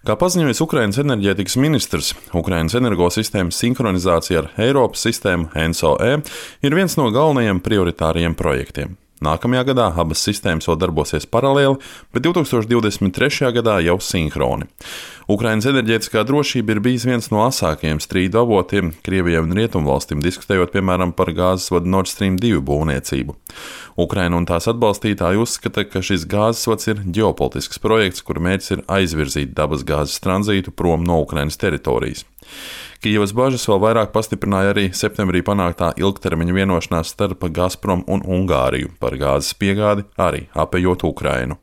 Kā paziņojis Ukrainas enerģētikas ministrs, Ukrainas energosistēmas sinhronizācija ar Eiropas sistēmu ENSO-E ir viens no galvenajiem prioritāriem projektiem. Nākamajā gadā abas sistēmas vēl darbosies paralēli, bet 2023. gadā jau sinhroni. Ukrainas enerģētiskā drošība ir bijis viens no asākajiem strīdu avotiem Krievijai un Rietumvalstīm, diskutējot piemēram par gāzes vadu Nord Stream 2 būvniecību. Ukraina un tās atbalstītāji uzskata, ka šis gāzes vads ir ģeopolitisks projekts, kura mērķis ir aizvirzīt dabas gāzes tranzītu prom no Ukrainas teritorijas. Kijevas bažas vēl vairāk pastiprināja arī septembrī panāktā ilgtermiņa vienošanās starp Gazprom un Ungāriju par gāzes piegādi, arī apejot Ukrainu.